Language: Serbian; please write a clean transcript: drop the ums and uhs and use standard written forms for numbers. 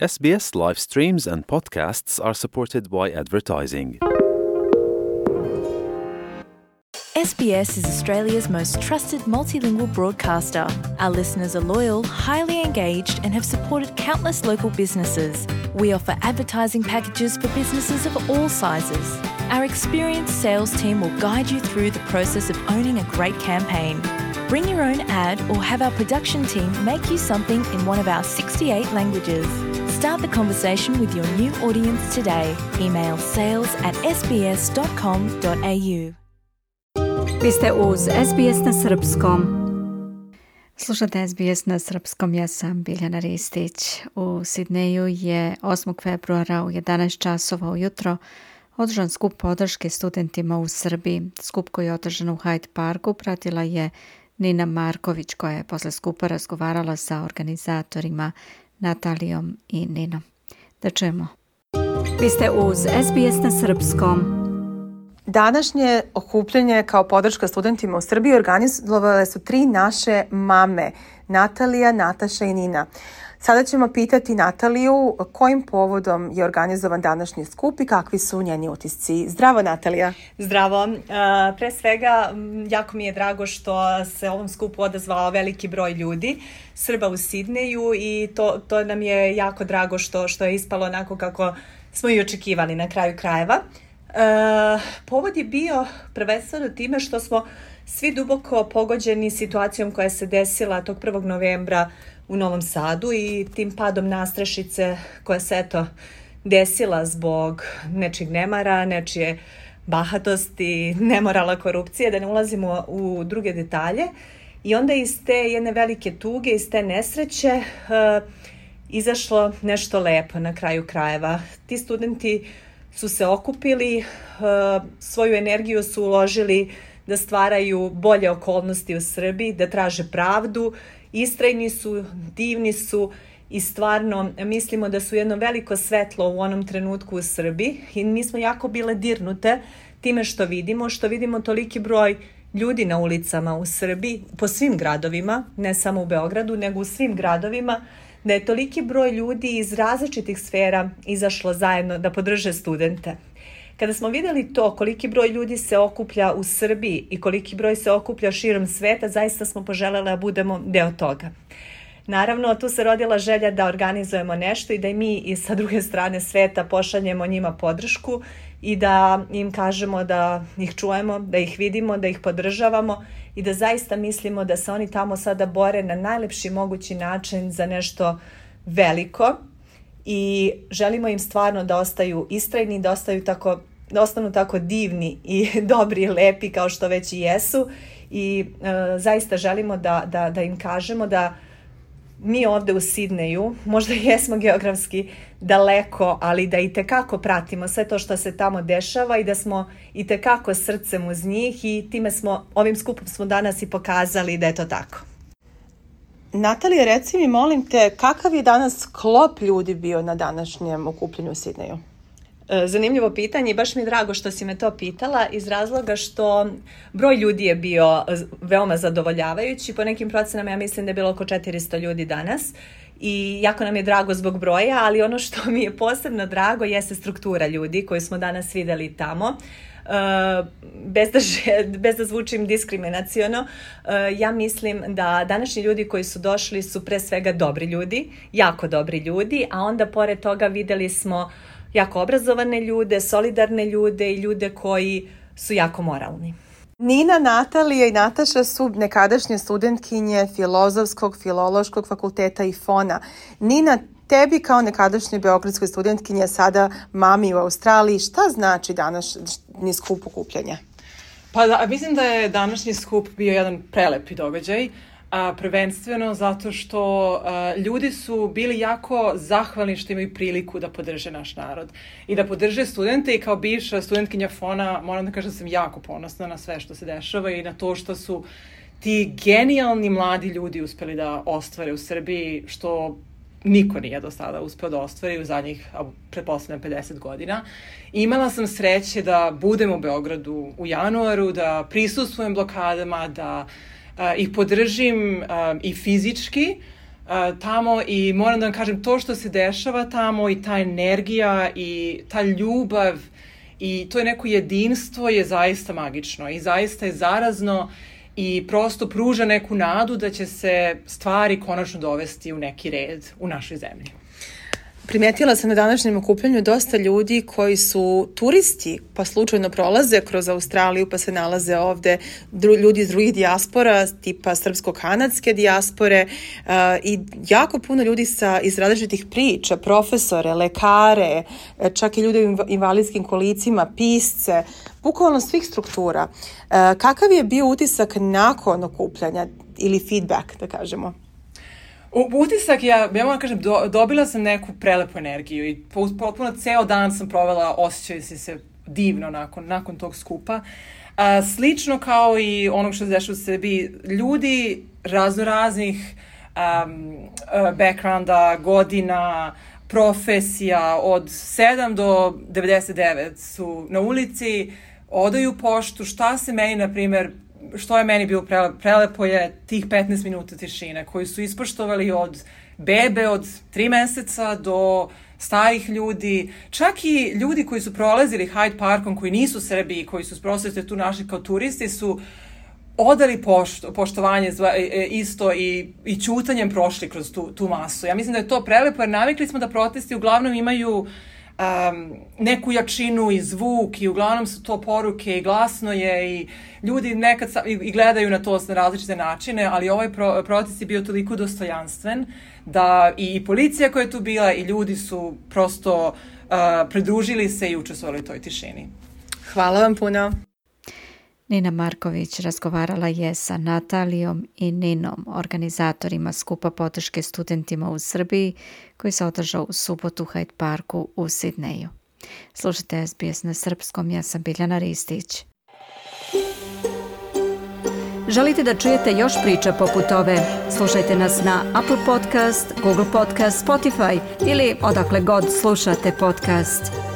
SBS live streams and podcasts are supported by advertising. SBS is Australia's most trusted multilingual broadcaster. Our listeners are loyal, highly engaged, and have supported countless local businesses. We offer advertising packages for businesses of all sizes. Our experienced sales team will guide you through the process of owning a great campaign. Bring your own ad or have our production team make you something in one of our 68 languages. Start the conversation with your new audience today. Email sales@sbs.com.au. Vi ste uz SBS na srpskom. Slušate SBS na srpskom, ja sam Biljana Ristić. U Sidneju je 8. februara u 11 časova ujutro održan skup podrške studentima u Srbiji. Skup koji je održan u Hyde Parku pratila je Nina Marković, koja je posle skupa razgovarala sa organizatorima Natalijom i Ninom. Da čujemo. Vi ste uz SBS na srpskom. Današnje okupljanje kao podrška studentima u Srbiji organizovale su 3 naše mame, Natalija, Nataša i Nina. Sada ćemo pitati Nataliju kojim povodom je organizovan današnji skup i kakvi su njeni utisci. Zdravo, Natalija. Zdravo. Pre svega, jako mi je drago što se ovom skupu odazvao veliki broj ljudi, Srba u Sidneju, i to nam je jako drago što je ispalo onako kako smo i očekivali na kraju krajeva. Povod je bio prvenstveno time što smo svi duboko pogođeni situacijom koja se desila tog 1. novembra u Novom Sadu i tim padom nastrešice koja se desila zbog nečijeg nemara, nečije bahatosti, nemorala, korupcije, da ne ulazimo u druge detalje. I onda iz te jedne velike tuge, iz te nesreće izašlo nešto lepo na kraju krajeva. Ti studenti su se okupili, svoju energiju su uložili da stvaraju bolje okolnosti u Srbiji, da traže pravdu, istrajni su, divni su i stvarno mislimo da su jedno veliko svetlo u onom trenutku u Srbiji i mi smo jako bile dirnute time što vidimo toliki broj ljudi na ulicama u Srbiji, po svim gradovima, ne samo u Beogradu, nego u svim gradovima, da je toliki broj ljudi iz različitih sfera izašlo zajedno da podrže studente. Kada smo vidjeli to, koliki broj ljudi se okuplja u Srbiji i koliki broj se okuplja širom sveta, zaista smo poželjeli da budemo deo toga. Naravno, tu se rodila želja da organizujemo nešto i da i mi i sa druge strane sveta pošaljemo njima podršku i da im kažemo da ih čujemo, da ih vidimo, da ih podržavamo i da zaista mislimo da se oni tamo sada bore na najlepši mogući način za nešto veliko i želimo im stvarno da ostaju istrajni, da ostanu tako divni i dobri i lepi kao što već i jesu i zaista želimo da im kažemo da mi ovdje u Sidneju možda jesmo geografski daleko, ali da itekako pratimo sve to što se tamo dešava i da smo itekako srcem uz njih i ovim skupom smo danas i pokazali da je to tako. Natalija, reci mi, molim te, kakav je danas sklop ljudi bio na današnjem okupljenju u Sidneju? Zanimljivo pitanje i baš mi je drago što si me to pitala iz razloga što broj ljudi je bio veoma zadovoljavajući. Po nekim procenama ja mislim da je bilo oko 400 ljudi danas i jako nam je drago zbog broja, ali ono što mi je posebno drago jeste struktura ljudi koju smo danas vidjeli tamo. Bez da zvučim diskriminaciono, ja mislim da današnji ljudi koji su došli su pre svega dobri ljudi, jako dobri ljudi, a onda pored toga vidjeli smo jako obrazovane ljude, solidarne ljude i ljude koji su jako moralni. Nina, Natalija i Nataša su nekadašnje studentkinje Filološkog fakulteta i FON-a. Nina, tebi kao nekadašnjoj beogradskoj studentkinje, sada mami u Australiji, šta znači današnji skup okupljanja? Mislim da je današnji skup bio jedan prelepi događaj. Prvenstveno zato što ljudi su bili jako zahvalni što imaju priliku da podrže naš narod i da podrže studente i kao bivša studentkinja FON-a moram da kažem da sam jako ponosna na sve što se dešava i na to što su ti genijalni mladi ljudi uspeli da ostvare u Srbiji što niko nije do sada uspeo da ostvari u zadnjih, pretpostavljam, 50 godina. Imala sam sreće da budem u Beogradu u januaru, da prisustvujem blokadama, da ih podržim i fizički, tamo i moram da vam kažem, to što se dešava tamo i ta energija i ta ljubav i to je neko jedinstvo je zaista magično i zaista je zarazno i prosto pruža neku nadu da će se stvari konačno dovesti u neki red u našoj zemlji. Primetila sam na današnjem okupljanju dosta ljudi koji su turisti, pa slučajno prolaze kroz Australiju, pa se nalaze ovde ljudi iz drugih dijaspora, tipa srpsko-kanadske dijaspore i jako puno ljudi iz različitih priča, profesore, lekare, čak i ljude u invalidskim kolicima, pisce, bukvalno svih struktura. Kakav je bio utisak nakon okupljanja ili feedback, da kažemo? Utisak, ja moram kažem, dobila sam neku prelepu energiju i potpuno ceo dan sam provela osjećajući se divno nakon tog skupa. Slično kao i onog što se dešava u Srbiji, ljudi raznoraznih backgrounda, godina, profesija, od 7 do 99 su na ulici, odaju poštu, šta se meni, na primjer, što je meni bilo prelepo je tih 15 minuta tišine koji su ispoštovali od bebe od 3 meseca do starih ljudi, čak i ljudi koji su prolazili Hyde Parkom, koji nisu Srbi i koji su prosto tu našli kao turisti, su odali poštovanje isto i ćutanjem prošli kroz tu masu. Ja mislim da je to prelepo jer navikli smo da protesti uglavnom imaju neku jačinu i zvuk i uglavnom su to poruke i glasno je i ljudi nekad i gledaju na to na različite načine, ali ovaj protest je bio toliko dostojanstven da i policija koja je tu bila i ljudi su prosto pridružili se i učestvovali u toj tišini. Hvala vam puno. Nina Marković razgovarala je sa Natalijom i Ninom, organizatorima skupa podrške studentima u Srbiji koji se održao u subotu u Hyde Parku u Sidneju. Slušajte SBS na srpskom, ja sam Biljana Ristić. Želite da čujete još priča poput ove? Slušajte nas na Apple Podcast, Google Podcast, Spotify ili odakle god slušate podcast.